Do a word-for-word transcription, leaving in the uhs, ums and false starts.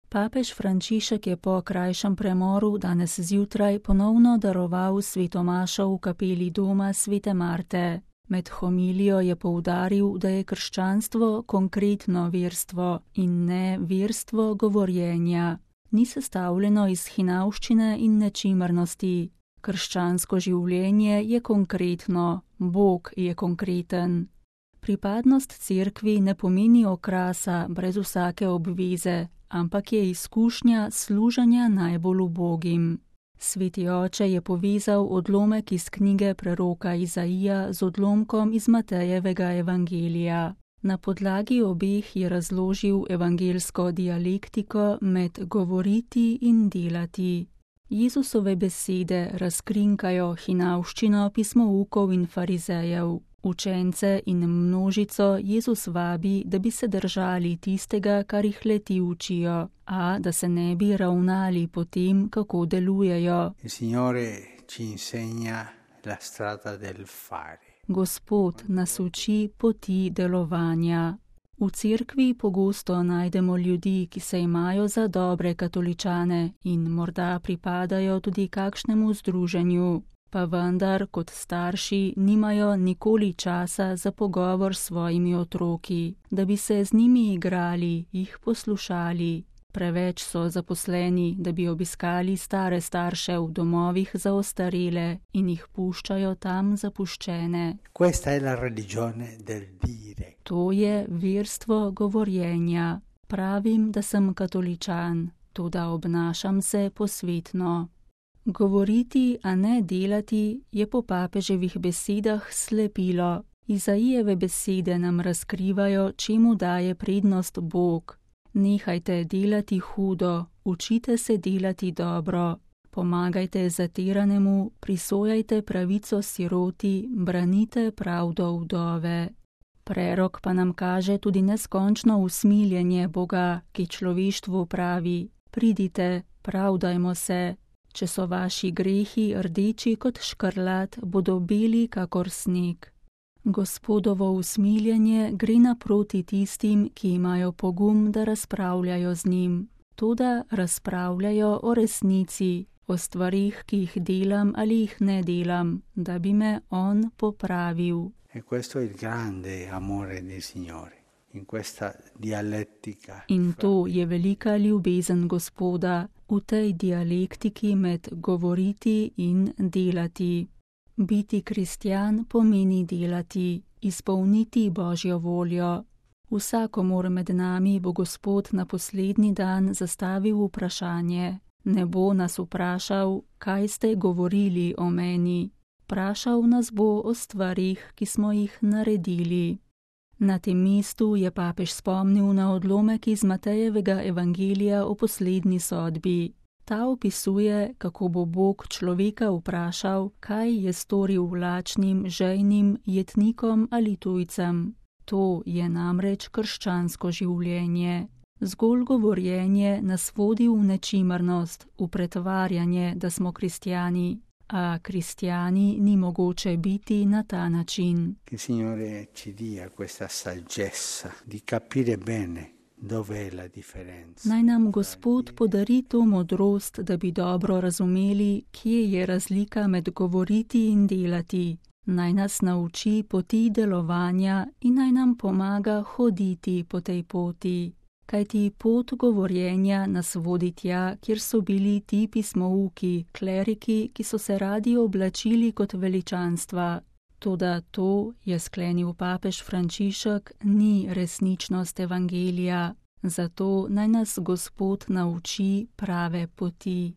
Papež Frančišek je po krajšem premoru danes zjutraj ponovno daroval svetomašo v kapeli doma svete Marte. Med homilijo je poudaril, da je krščanstvo konkretno verstvo in ne verstvo govorjenja. Ni sestavljeno iz hinavščine in nečimrnosti. Krščansko življenje je konkretno, Bog je konkreten. Pripadnost cerkvi ne pomeni okrasa brez vsake obveze, ampak je izkušnja služenja najbolj ubogim. Sveti oče je povezal odlomek iz knjige preroka Izaija z odlomkom iz Matejevega evangelija. Na podlagi obeh je razložil evangelsko dialektiko med govoriti in delati. Jezusove besede razkrinkajo hinavščino pismoukov in farizejev. Učence in množico Jezus vabi, da bi se držali tistega, kar jih leti učijo, a da se ne bi ravnali po tem, kako delujejo. Gospod nas uči poti delovanja. V cerkvi pogosto najdemo ljudi, ki se imajo za dobre katoličane in morda pripadajo tudi kakšnemu združenju. Pa vendar kot starši nimajo nikoli časa za pogovor s svojimi otroki, da bi se z njimi igrali, jih poslušali. Preveč so zaposleni, da bi obiskali stare starše v domovih za ostarele in jih puščajo tam zapuščene. To je verstvo govorjenja. Pravim, da sem katoličan, toda obnašam se posvetno. Govoriti, a ne delati, je po papeževih besedah slepilo. Izaijeve besede nam razkrivajo, čemu daje prednost Bog. Nehajte delati hudo, učite se delati dobro, pomagajte zatiranemu, prisojajte pravico siroti, branite pravdo vdove. Prerok pa nam kaže tudi neskončno usmiljenje Boga, ki človeštvu pravi: pridite, pravdajmo se. Če so vaši grehi rdeči kot škrlat, bodo beli kakor sneg. Gospodovo usmiljenje gre naproti tistim, ki imajo pogum, da razpravljajo z njim. Toda razpravljajo o resnici, o stvarih, ki jih delam ali jih ne delam, da bi me on popravil. In to je velika ljubezen Gospoda, v tej dialektiki med govoriti in delati. Biti kristjan pomeni delati, izpolniti Božjo voljo. Vsakomur med nami bo Gospod na poslednji dan zastavil vprašanje. Ne bo nas vprašal, kaj ste govorili o meni. Vprašal nas bo o stvarih, ki smo jih naredili. Na tem mestu je papež spomnil na odlomek iz Matejevega evangelija o poslednji sodbi. Ta opisuje, kako bo Bog človeka vprašal, kaj je storil lačnim, žejnim, jetnikom ali tujcem. To je namreč krščansko življenje. Zgolj govorjenje nas vodi v nečimrnost, v pretvarjanje, da smo kristjani. A kristjani ni mogoče biti na ta način. Naj nam Gospod podari to modrost, da bi dobro razumeli, kje je razlika med govoriti in delati. Naj nas nauči poti delovanja in naj nam pomaga hoditi po tej poti. Kajti pot govorjenja nas vodi tja, kjer so bili ti pismouki, kleriki, ki so se radi oblačili kot veličanstva. Toda to, je sklenil papež Frančišek, ni resničnost evangelija. Zato naj nas Gospod nauči prave poti.